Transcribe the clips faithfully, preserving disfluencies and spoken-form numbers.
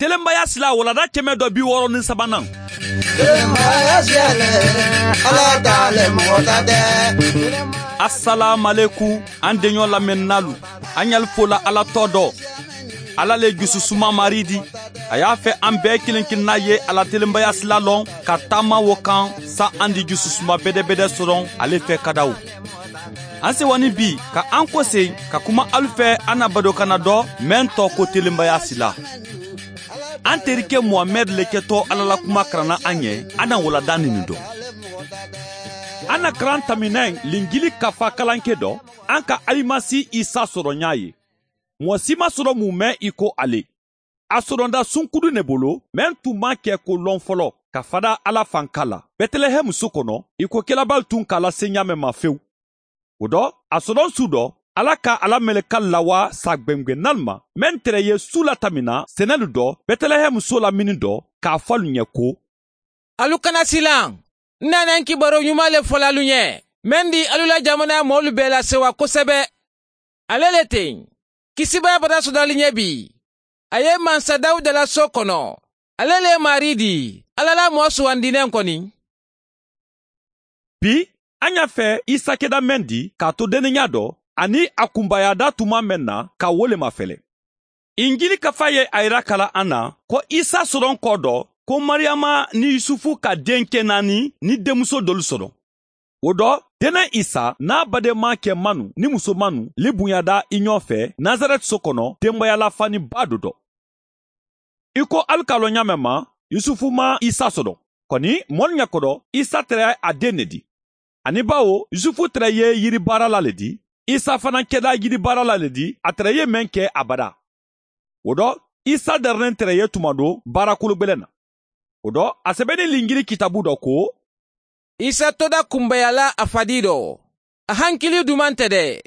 Telenbaya sila walada kɛmɛ dɔ bi wɔɔrɔ ni sabanan. Telenbaya siyale, Ala t'ale mɔgɔ ta tɛ. Asalaamaleku an denɲɔ lamɛnnalu, an y'al fola Ala tɔ dɔ. Ala le jususuma mari di. A y'a fɛ an bɛɛ kelen kelenna ye ala telenbaya sila lɔn ka taama wo kan sa an di jususuma bɛdɛbɛdɛ sɔrɔ ale fɛ kadaw. An sewani bi ka an kɔsen ka kuma alu fɛ an na badokana dɔ mɛn tɔ ko telenbaya sila. An terikɛ Muhamɛd le kɛtɔ Ala la kuma karanna an ɲɛ, an na walada nin dɔn. An na karan taminɛ Linjili kafa kalanke dɔ, an ka Alimasi Isa sɔrɔ ɲa ye. Mɔgɔ si ma sɔrɔ mun mɛn i ko ale. A sɔrɔda sunkudu ne bolo, mɛn tun ma kɛ ko lɔn fɔlɔ, ka fada Ala fanka la. Bɛtɛlɛhɛmu so kɔnɔ, i ko kelabal tun k'a lase ɲa mɛn ma fewu. O dɔ, a sɔrɔ su dɔ, Ala ka ala mɛlɛka lawa sa gwɛngwɛnnal ma, mɛn tɛrɛ ye su latamina sɛnɛlu dɔ, Bɛtɛlɛhɛmu so lamini dɔ, k'a fɔ alu ɲɛ ko: Alu kana silan, n nana n kibaro ɲuman le fɔla alu ɲɛ, mɛn di alu la jamana mɔɔlu bɛɛ lasewa kosɛbɛ. Ale le ten, kisibaya bada sɔdali ɲɛ bi. A ye mansa Dawuda la so kɔnɔ, ale le mari di, Ala la mɔɔ sugandinen kɔni. Bi, an y'a fɛ Isa kɛda mɛn di k'a to dennenya dɔ, ani a kunbayada tuma mɛn na ka wo le mafɛlɛ. Injili kafa ye a yira kala an na ko Isa sɔrɔ kɔ dɔ ko Mariyama ni Yusufu ka denkɛ naani ni denmuso dɔlu sɔrɔ. O dɔ, dennɛ Isa n'a badenma kɛ manu ni muso manu li bonyada i ɲɔ fɛ Nazarɛti so kɔnɔ denbayala faniba dɔ dɔ. I ko alu k'a lɔn ɲa mɛn ma, Yusufu ma Isa sɔrɔ. Kɔni mɔlu ɲɛkɔrɔ, Isa tɛrɛ a den ne di. Ani bawo Yusufu tɛrɛ ye yiribaarala le di, Isa fana kɛda yiribaarala le di, a tɛrɛ ye mɛn kɛ abada. O dɔ, Isa darinen tɛrɛ ye tuma do baarakolo gwɛlɛn na. O dɔ, a sɛbɛnni Linjili kitabu dɔ ko: Isa toda kunbayala a fadi dɔ. A hankili duman tɛ dɛ.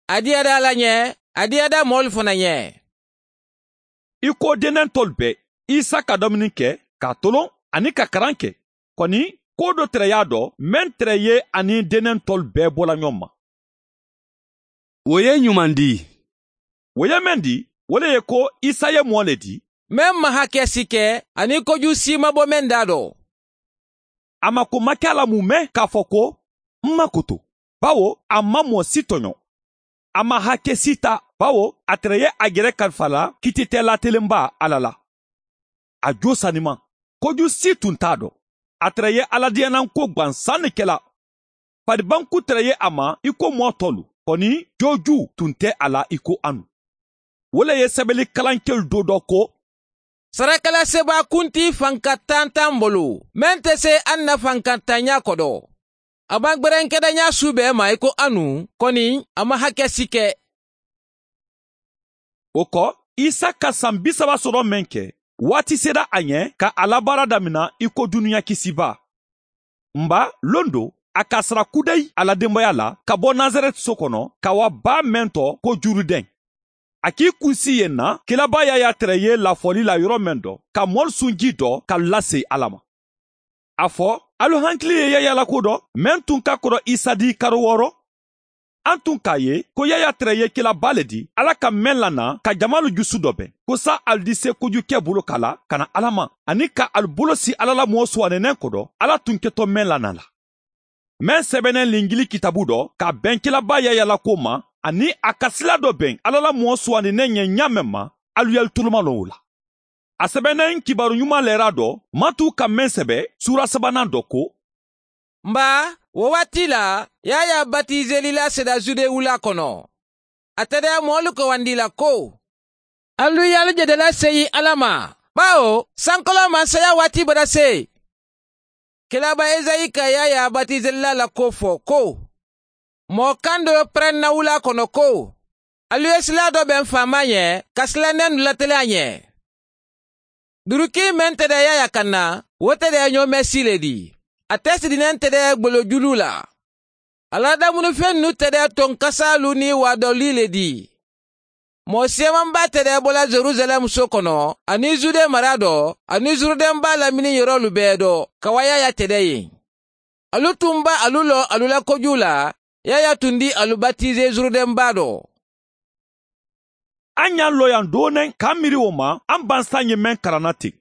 A diyada Ala ɲɛ, a diyada mɔɔlu fana ɲɛ. I ko dennɛ tɔlu bɛɛ, Isa ka dumuni kɛ, k'a tolon ani ka karan kɛ. Kɔni, ko dɔ tɛrɛ y'a dɔ, mɛn tɛrɛ ye ani dennɛ tɔlu bɛɛ bɔla ɲɔgɔn ma. O ye ɲuman di. O ye mɛn di, o le ye ko Isa ye mɔɔ le di. Mɛn ma hakɛ si kɛ, ani koju si ma bɔ mɛn da dɔ. A ma ko ma kɛ a la mun mɛn k'a fɔ ko n ma koto, bawo a ma mɔɔ si tɔɲɔ. A ma hakɛ si ta, bawo a tɛrɛ ye a yɛrɛ kalifa la kititɛla telenba Ala la. A jo sanima, koju si tun t'a dɔn. A tɛrɛ ye Ala diyanan ko gwansan ne kɛla. Faribanku tɛrɛ ye a ma i ko mɔɔ tɔlu, kɔni joju tun tɛ a la i ko anu. O le ye sɛbɛnni kalankɛlu do dɔ ko: Sarakalaseba kunti fanka tan t'an bolo, mɛn tɛ se an na fankantanya kɔdɔ. A b'an gbɛrɛnkɛdanya su bɛɛ ma i ko anu, kɔni a ma hakɛ si kɛ. O kɔ, Isa ka san bi saba sɔrɔ mɛn kɛ, waati sera a ɲɛ ka a labaara damina i ko dunuya kisiba. Nba lon do, a ka sara kudayi a la denbaya la ka bɔ Nazarɛti so kɔnɔ ka wa ba mɛn tɔ ko Jurudɛn. A k'i kunsi yen na, kelaba y'a tɛrɛ ye lafɔli la yɔrɔ mɛn dɔ, ka mɔli sunji dɔ ka lase Ala ma. A fɔ, alu hankili ye Yaya la ko dɔ, mɛn tun ka kɔrɔ Isa di karo wɔɔrɔ. An tun k'a ye ko Yaya tɛrɛ ye kelaba le di, Ala ka mɛn lana ka jamalu jusu dɔ bɛn, ko sa alu di se kojukɛ bolo kala ka na Ala ma, ani ka alu bolo si Ala la mɔɔ suwanɛnɛ kɔdɔ, Ala tun kɛtɔ mɛn lana la. Mɛn sɛbɛnɛ Linjili kitabu dɔ, ka bɛn kelaba Yaya la ko ma, ani a ka sila dɔ bɛn Ala la mɔɔ suwanɛnɛ ɲɛ ɲa mɛn ma, alu y'alu toloma lɔ o la. A sɛbɛnɛ kibaru ɲuman lɛra dɔ, Matu ka mɛn sɛbɛ sura sabanan dɔ ko: Nba, o waati la, Yaya batizelila sera Zude wula kɔnɔ. A tɛrɛ mɔɔlu kɔwandi la ko: Alu y'alu jɛdɛla seyi Ala ma, bawo sankolo masaya waati bɔra se. Kelaba Ezayi ka Yaya batizelila la ko fɔ ko: Mɔɔ kan dɔ pɛrɛnna wula kɔnɔ ko: Alu ye sila dɔ bɛn faama ɲɛ, ka silannen latɛlɛ a ɲɛ. Duruki mɛn tɛrɛ Yaya ka na, o tɛrɛ ɲɔmɛ si le di. A tɛ sirinen tɛrɛ gbolojulu la. Ala damunufɛn ninnu tɛrɛ tɔnkasalu ni wadɔli le di. Mɔɔ siyamanba tɛrɛ bɔla Jerusalɛm so kɔnɔ, ani Zude mara dɔ, ani Zurudɛnba lamini yɔrɔlu bɛɛ dɔ, ka wa Yaya tɛrɛ yen. Alu tun ba alu lɔ alu la koju la, Yaya tun di alu batize Zurudɛnba dɔ. An y'an lɔ yan doonen k'an miiri o ma, an bansan ye mɛn karanna ten.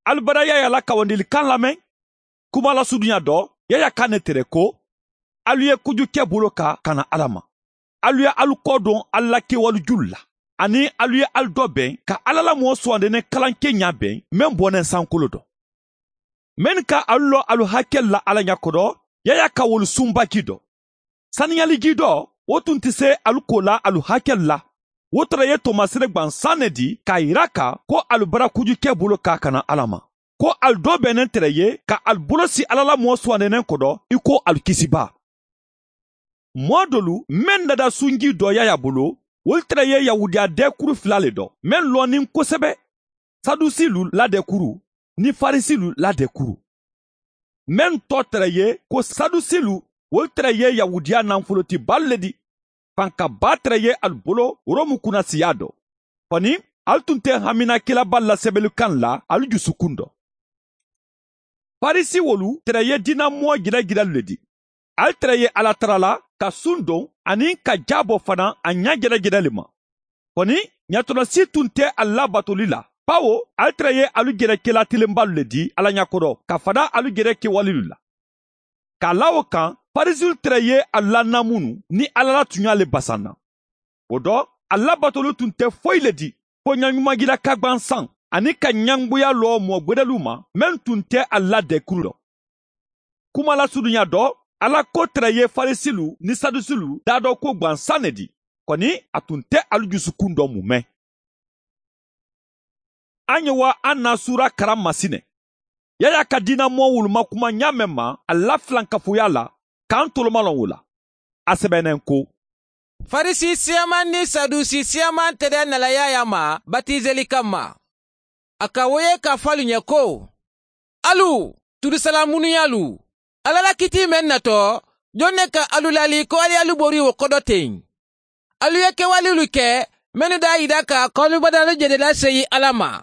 Alu bara Yaya la kawandilikan lamɛn, kuma lasudunya dɔ, Yaya kan ne tere ko, alu ye kojukɛ bolo kan ka na Ala ma. Alu ye alu kɔ don alu la kɛwale julu la, ani alu ye alu dɔ bɛn ka Ala la mɔɔ sugandenen kalanke ɲa bɛn mɛn bɔnɛ sankolo dɔ. Men ka alu lɔ alu hakɛ la Ala ɲakɔrɔ, Yaya ka wolu sunbaji dɔ. Saniyaliji dɔ, o tun tɛ se alu ko la alu hakɛ la. O tara ye tɔmasere gwansan ne di k'a yira ka ko alu bara kojukɛ bolo kan ka na Ala ma. Ko alu dɔ bɛnnen tɛrɛ ye ka alu bolo si Ala la mɔɔ sugandenen kɔdɔ i ko alu kisiba. Mɔɔ dolu men dada sunji dɔ Yaya bolo, olu tɛrɛ ye Yahudiya dɛkuru fila le dɔ, men lɔnnin kosɛbɛ, Sadusilu la dɛkuru ni Farisilu la dɛkuru. Men tɔ tɛrɛ ye ko Sadusilu, olu tɛrɛ ye Yahudiya nafolotibalu le di. Fankaba tɛrɛ ye alu bolo Rɔmu kunnasiya dɔ. Kɔni, alu tun tɛ haminakɛlaba lasɛbɛlikan la alu jusukun dɔ. Farisi wolu tɛrɛ ye dinamɔɔ jɛrɛjɛrɛlu le di. Alu tɛrɛ ye Ala tara la ka sun don ani ka ja bɔ fana a ɲa jɛrɛjɛrɛ le ma. Kɔni, ɲatɔnɔsi tun tɛ a labatoli la. Bawo, alu tɛrɛ ye alu jɛrɛkɛla telenbalu le di Ala ɲakɔrɔ ka fada alu jɛrɛ kɛwalelu la. K'a la o kan, Farisilu tɛrɛ ye a lanamunu ni Ala la tunya le basanna. O dɔ, a labatolu tun tɛ foyi le di fo ɲaɲumajira ka gwansan ani ka ɲangoya lɔ mɔɔ gwɛdɛlu ma mɛn tun tɛ a la dɛkuru dɔ. Kuma lasurunya dɔ, Ala ko tɛrɛ ye Farisilu ni Sadusilu da dɔ ko gwansan ne di. Kɔni, a tun tɛ alu jusukun dɔ mumɛ. An ye wa an na sura karan masinɛ. Yaya ka dinamɔɔ wuluma kuma ɲa mɛn ma a la filankafoya la k'an tolomalɔn o la. A sɛbɛnnen ko, Farisi siyaman ni Sadusi siyaman tɛrɛ nala Yaya ma batizeli kama. A ka wo ye k'a fɔ alu ɲɛ ko, alu turusalamunuyalu, Ala la kiti mɛn natɔ, jɔn ne ka alu lali ko ali alu bori o kɔdɔ ten. Alu ye kɛwalelu kɛ mɛnnu d'a yira ka k'alu badalu jɛdɛla seyi Ala ma.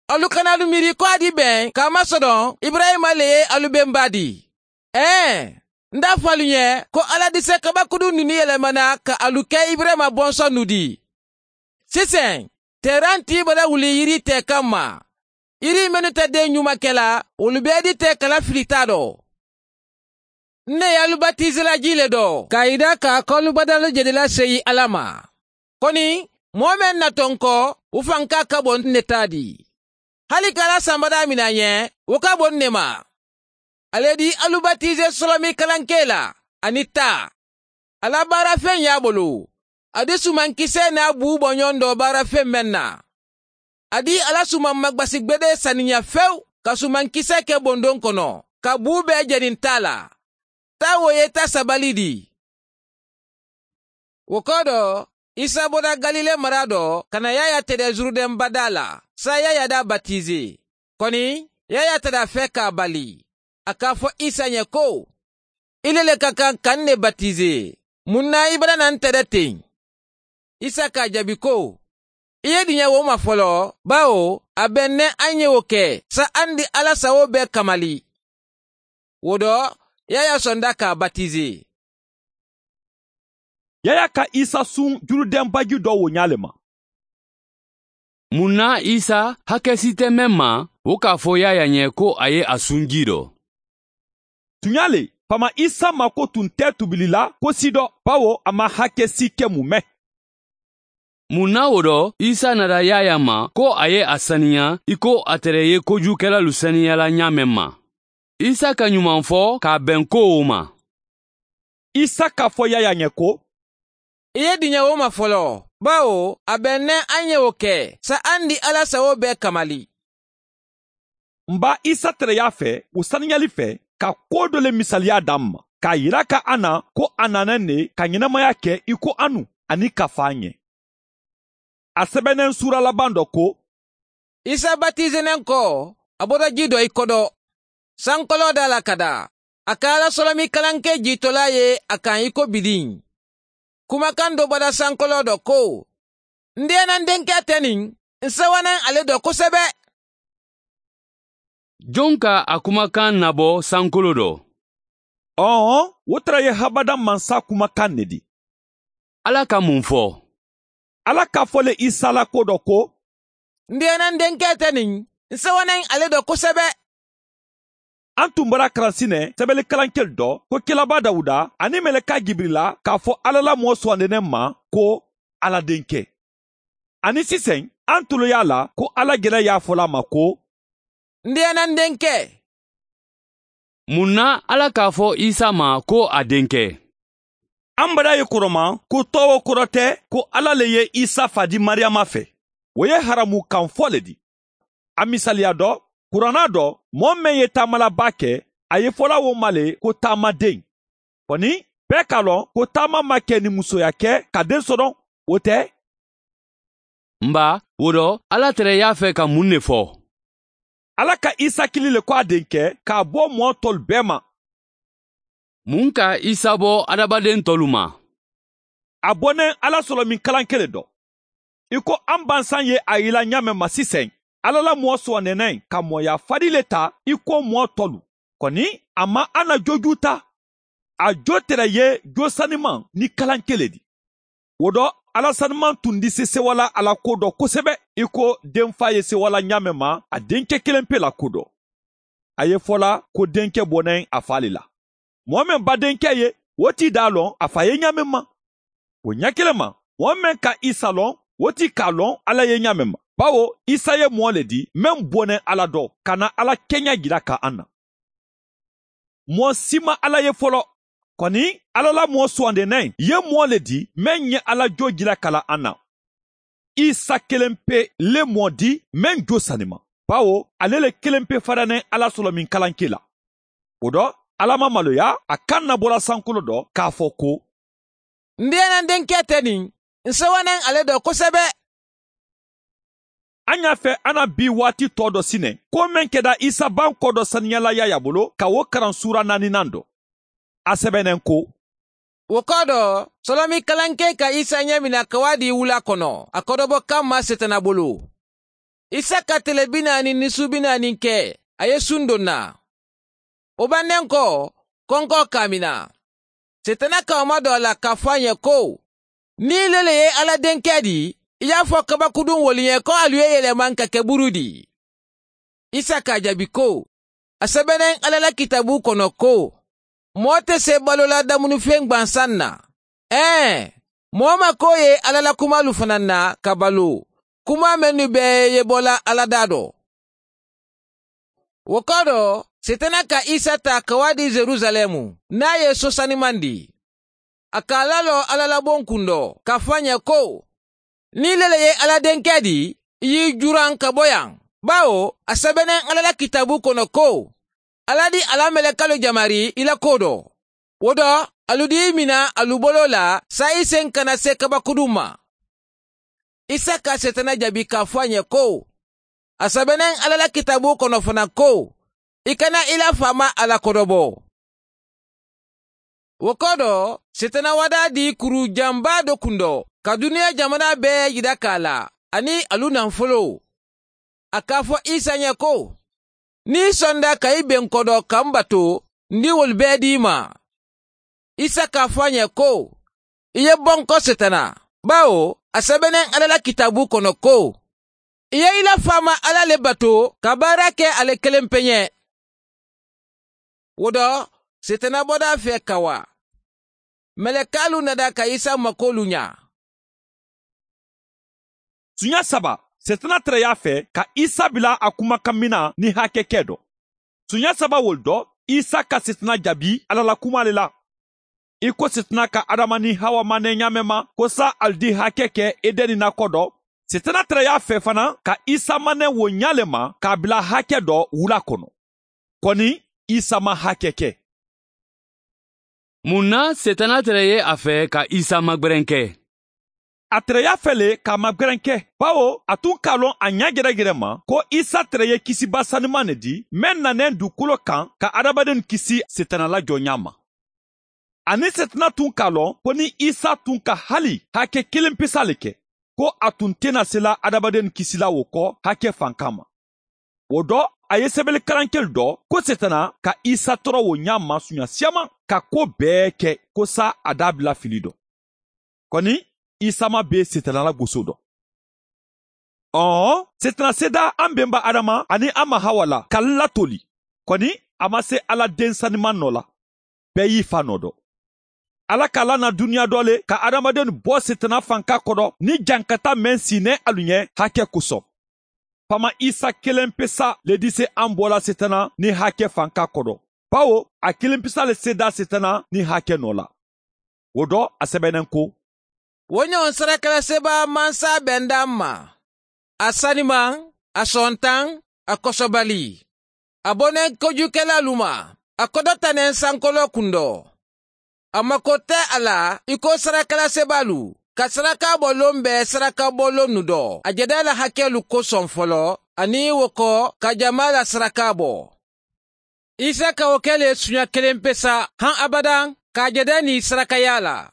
Alu kana alu miiri ko a di bɛn k'a masɔrɔ Ibrahima le ye alu bɛnba di. Ɛɛ, n t'a fɔ alu ɲɛ ko Ala di se kabakurun ninnu yɛlɛmana ka alu kɛ Ibrahima bɔnsɔn nu di. Sisan, tɛran t'i bara wuli yiri tɛ kama. Yiri minnu tɛ den ɲuman kɛla, olu bɛɛ di tɛ kala filita dɔ. Ne y'alu batizela ji le dɔ k'a yira k'a k'alu badalu jɛdɛla seyi Ala ma. Kɔni, mɔɔ mɛn natɔ n kɔ, o fanka ka bon ne ta di. Hali k'Ala sanbada minɛ ɲɛ, o ka bon ne ma. Ale di alu batize sɔlɔmi kalanke la ani ta. Ala baarafɛn y'a bolo. A di sumankisɛ n'a bu bɔɲɔgɔn dɔ baarafɛn mɛn na. A di Ala suman magbasigbede saniya fewu ka sumankisɛ kɛ bondon kɔnɔ, ka bu bɛɛ jɛni ta la. Ta wo ye ta sabali di. O kɔ dɔ, Isa bɔra Galile mara dɔ ka na Yaya tɛrɛ Zurudɛn bada la, sa Yaya da batize. Kɔni, Yaya tɛrɛ fɛ k'a bali. A k'a fɔ Isa ɲɛ ko, ile le ka kan ka ne batize. Mun na i bara na n tɛrɛ ten? Isa k'a jaabi ko, i ye diɲɛ wo ma fɔlɔ, bawo a bɛn nɛ an ye o kɛ, sa an di Ala sago bɛɛ kamali. O dɔ, Yaya sɔnda k'a batize. Yaya ka Isa sun Jurudɛn baji dɔ wo ɲa le ma. Mun na Isa hakɛ si tɛ mɛn ma, o k'a fɔ Yaya ɲɛ ko a ye a sun ji dɔ. Tunya le, fama Isa mako tun tɛ tubili la ko si dɔ, bawo a ma hakɛ si kɛ mumɛ. Mun na o dɔ, Isa nana Yaya ma ko a ye a saniya i ko a tɛrɛ ye kojukɛlalu saniyala ɲa mɛn ma. Isa ka ɲuman fɔ k'a bɛn ko o ma. Isa k'a fɔ Yaya ɲɛ ko, i ye diɲɛ o ma fɔlɔ, bawo a bɛn nɛ an ye o kɛ, sa an di Ala sago bɛɛ kamali. N ba Isa tɛrɛ y'a fɛ o saniyali fɛ ka ko dɔ le misaliya d'an ma, k'a yira ka an na ko a nana ne ka ɲɛnamaya kɛ i ko anu ani ka fa an ɲɛ. A sɛbɛnnen sura laban dɔ ko, Isa batizenen kɔ, a bɔra ji dɔ i kɔdɔ. Sankɔlɔ da la ka da. A ka Ala sɔlɔmi kalanke jitɔla ye a kan i ko bidin. Kumakan dɔ bɔra sankɔlɔ dɔ ko, n den na n denkɛ tɛ nin, n sewanen ale dɔ kosɛbɛ. Jɔn ka a kumakan nabɔ sankolo dɔ? Ɔhɔn, o tɛrɛ ye habada mansa kumakan ne di. Ala ka mun fɔ? Ala k'a fɔ le Isa la ko dɔ ko n denkɛ n denkɛ tɛ nin n sewanen ale dɔ kosɛbɛ. An tun bɔra karansinɛ sɛbɛnnikalankɛli dɔ ko Kelaba Dawuda ani mɛlɛka Jibirila k'a fɔ Ala la mɔɔ sugandinen ma ko Ala denkɛ. Ani sisan an tulo y'a la ko Ala gɛrɛ y'a fɔla a ma ko n denkɛ n denkɛ. Mun na Ala k'a fɔ Isa ma ko a denkɛ? An bara ye kɔrɔma ko tɔgɔ kɔrɔ tɛ ko Ala le ye Isa fa di Mariyama fɛ. O ye haramu kan fɔ le di. A misaliya dɔ, kuranna dɔ, mɔɔ min ye taamalaba kɛ, a ye fɔla o ma le ko taamaden. Kɔni, bɛɛ k'a lɔn ko taama ma kɛ ni musoya kɛ ka den sɔrɔ, o tɛ? Nba, o dɔ, Ala tɛrɛ y'a fɛ ka mun de fɔ? Ala ka Isa kili le ko a denkɛ k'a bɔ mɔɔ tɔlu bɛɛ ma. Mun ka Isa bɔ adamaden tɔlu ma? A bɔnen Ala sɔrɔ min kalan kelen dɔ. I ko an bansan ye a yila ɲa mɛn ma sisan, Ala la mɔɔ sugandinen ka mɔya fadi le ta i ko mɔɔ tɔlu. Kɔni, a ma an na joju ta. A jo tɛrɛ ye jo saniman ni kalan kelen di. O dɔ, Ala saniman tun di se sewala Ala ko dɔ kosɛbɛ i ko denfa ye sewala ɲa mɛn ma a denkɛ kelen pe la ko dɔ. A ye fɔla ko denkɛ bɔnen a fa le la. Mɔɔ min ba denkɛ ye, o t'i d'a lɔn a fa ye ɲa mɛn ma. O ɲɛ kelen ma, mɔɔ min ka Isa lɔn, o t'i k'a lɔn Ala ye ɲa mɛn ma. Bawo Isa ye mɔɔ le di min bɔnen Ala dɔ ka na Ala kɛɲɛ jira ka an na. Mɔɔ si ma Ala ye fɔlɔ. Kɔni, Ala la mɔɔ sugandinen ye mɔɔ le di min ye Ala jo jira ka la an na. Isa kelen pe le mɔɔ di min jo sanima. Bawo ale le kelen pe faranen Ala sɔrɔ min kalanke la. O dɔ, Ala ma maloya a kan na bɔra sankolo dɔ k'a fɔ ko n denkɛ n denkɛ tɛ nin n sewanen ale dɔ kosɛbɛ. An y'a fɛ an na bi waati tɔ dɔ sinɛ ko min kɛra Isa ban kɔ dɔ saniyala Yaya bolo ka o kalan sura naaninan dɔ. A sɛbɛnnen ko O kɔ dɔ, sɔlɔmi kalankɛ ka Isa ɲɛ mina ka wa di wula kɔnɔ a kɔdɔbɔ kan ma setana bolo. Isa ka tile bi naani ni su bi naani kɛ a ye sun don na. O bannen kɔ, kɔnkɔ k'a mina. Setana ka o ma dɔ a la k'a fɔ a ɲɛ ko ni le le ye Ala denkɛ di, i y'a fɔ kabakudun woli ye ko alu ye yɛlɛma ka kɛ buru di. Isa k'a jaabi ko a sɛbɛnnen Ala la kitabu kɔnɔ ko mɔɔ tɛ se balola damunifɛn gwansan na. Ɛɛ, mɔɔ ma ko ye Ala la kumalu fana na ka balo. Kuma minnu bɛɛ ye bɔla Ala da dɔ. O kɔ dɔ, Setana ka Isa ta ka wa di Jerusalɛmu n'a ye so saniman di. A k'a lalɔ Ala la bon kun dɔ k'a fɔ a ɲɛ ko ni le le ye Ala denkɛ di, i y'i juran ka bɔ yan. Bawo a sɛbɛnnen Ala la kitabu kɔnɔ ko Ala di ala mɛlɛkalo jamari i la ko dɔ. O dɔ, alu di mina alu bolo la sa i sen kana se kabakudun ma. Isa ka Setana jaabi k'a fɔ a ɲɛ ko a sɛbɛnnen Ala la kitabu kɔnɔ fana ko i kana i la faama Ala kɔdɔbɔ. O kɔ dɔ, Setana wada di kuru janba dɔ kun dɔ ka duniya jamana bɛɛ yira k'a la ani alu nafolo. A k'a fɔ Isa ɲɛ ko n'i sɔnda ka i bɛn kɔdɔ ka n bato, n di wolu bɛɛ d'i ma. Isa k'a fɔ a ɲɛ ko i ye bɔ n kɔ Setana, bawo a sɛbɛnnen Ala la kitabu kɔnɔ ko i ye i la faama Ala le bato ka baara kɛ ale kelen pe ɲɛ. O dɔ, Setana bɔda fɛ ka wa. Mɛlɛkalu nada ka Isa makolu ɲa. Sunya saba, Setana tɛrɛ y'a fɛ ka Isa bila a kumakan mina ni hakɛ kɛ dɔ. Sunya saba wol dɔ, Isa ka Setana jaabi Ala la kuma le la. I ko Setana ka Adama ni Hawa manɛ ɲa mɛn ma ko sa ali di hakɛ kɛ Edɛni nakɔ dɔ. Setana tɛrɛ y'a fɛ fana ka Isa manɛ wo ɲa le ma k'a bila hakɛ dɔ wula kɔnɔ. Kɔni, Isa ma hakɛ kɛ. Mun na Setana tɛrɛ ye a fɛ ka Isa magwɛrɛn kɛ? A tɛrɛ y'a fɛ le k'a magwɛrɛn kɛ, bawo a tun k'a lɔn a ɲɛ gɛrɛgɛrɛ ma ko Isa tɛrɛ ye kisiba saniman le di mɛn nanen dugukolo kan ka adamaden kisi Setana la jɔnya ma. Ani Setana tun k'a lɔn ko ni Isa tun ka hali hakɛ kelen pesa le kɛ, ko a tun tɛna sela adamaden kisila o kɔ hakɛ fan kama. O dɔ, a ye sɛbɛnnikalankɛli dɔ ko Setana ka Isa tɔɔrɔ o ɲa ma sunya siyaman ka ko bɛɛ kɛ ko sa a da bila fili dɔ. Kɔni, Isa ma be setana la goso dɔ. Ɔhɔn, setana seda an benba Adama ani an ma Hawa la ka latoli. Kɔni a ma se Ala den saniman nɔ la. Bɛɛ y'i fa nɔ dɔn. Ala k'a lana duniya dɔ le ka adamaden bɔ setana fanka kɔrɔ ni jankata mɛn sinɛ alu ɲɛ hakɛ kosɔn. Fama Isa kelen pe sa le di se an bɔla setana ni hakɛ fanka kɔrɔ. Bawo a kelen pe sa le seda setana ni hakɛ nɔ la. O dɔ a sɛbɛnnen ko: Wo ɲɔgɔn sarakalasebaa mansa bɛn ma. A saniman, a sɔntan, a kɔsɔbali. A bɔnɛ kojukɛlalu ma, a kɔdɔtanen sankolo kun dɔ. A mako tɛ a la i ko sarakalasebalu ka saraka bɔlon bɛɛ saraka bɔlon nu dɔ. A jɛda la hakɛlu kosɔn fɔlɔ, ani wo kɔ ka jama la saraka bɔ. Isa ka o kɛ le suɲa kelen pe sa han abadan k'a jɛda ni sarakaya la.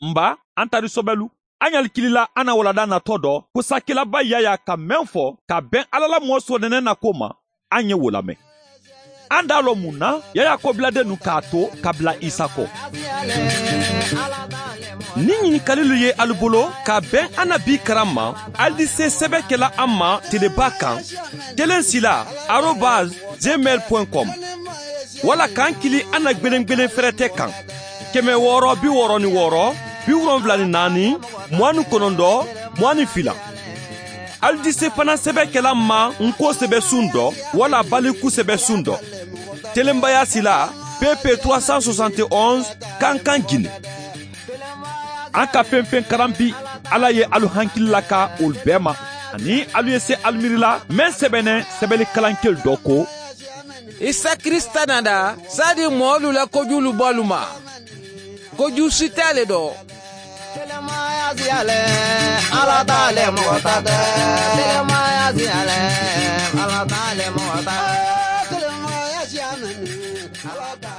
Nba, an tari sɔbɛlu. An y'ali kilila an na walada natɔ dɔ ko sakilaba Yaya ka mɛn fɔ ka bɛn Ala la mɔɔ sɔnɛnɛ na ko ma, an ye wo lamɛn. An d'a lɔ mun na Yaya kɔbiladen nu k'a to ka bila Isa kɔ. Ni ɲininkalilu ye alu bolo ka bɛn an na bi karan ma, ali di se sɛbɛ kɛla an ma teleba kan kelen sila arobase gmail point com wala k'an kili an na gwelen fɛrɛtɛ kan kɛmɛ wɔɔrɔ bi wɔɔrɔ ni wɔɔrɔ bi wolonfila ni naani mugan ni kɔnɔntɔn mugan ni fila. Ali di se fana sɛbɛ kɛla ma nko sɛbɛ sun dɔ wala baliku sɛbɛ sun dɔ. Telenbaya sila P P trois cent soixante et onze, Kankan, Guinée. An ka fɛn fɛn karan bi, Ala ye alu hankili la ka olu bɛɛ ma ani alu ye se alu la mɛn sɛbɛnɛ sɛbɛnni kalankel dɔ ko: Isa Krista nada sadi mɔɔlu la kojulu bɔlu ma. Koju si t'ale dɔ. Ala t'ale mɔgɔ ta tɛ. Telemaya siyalɛ, Ala t'ale mɔgɔ ta. Telemaya siya mɛnni, Ala t'ale.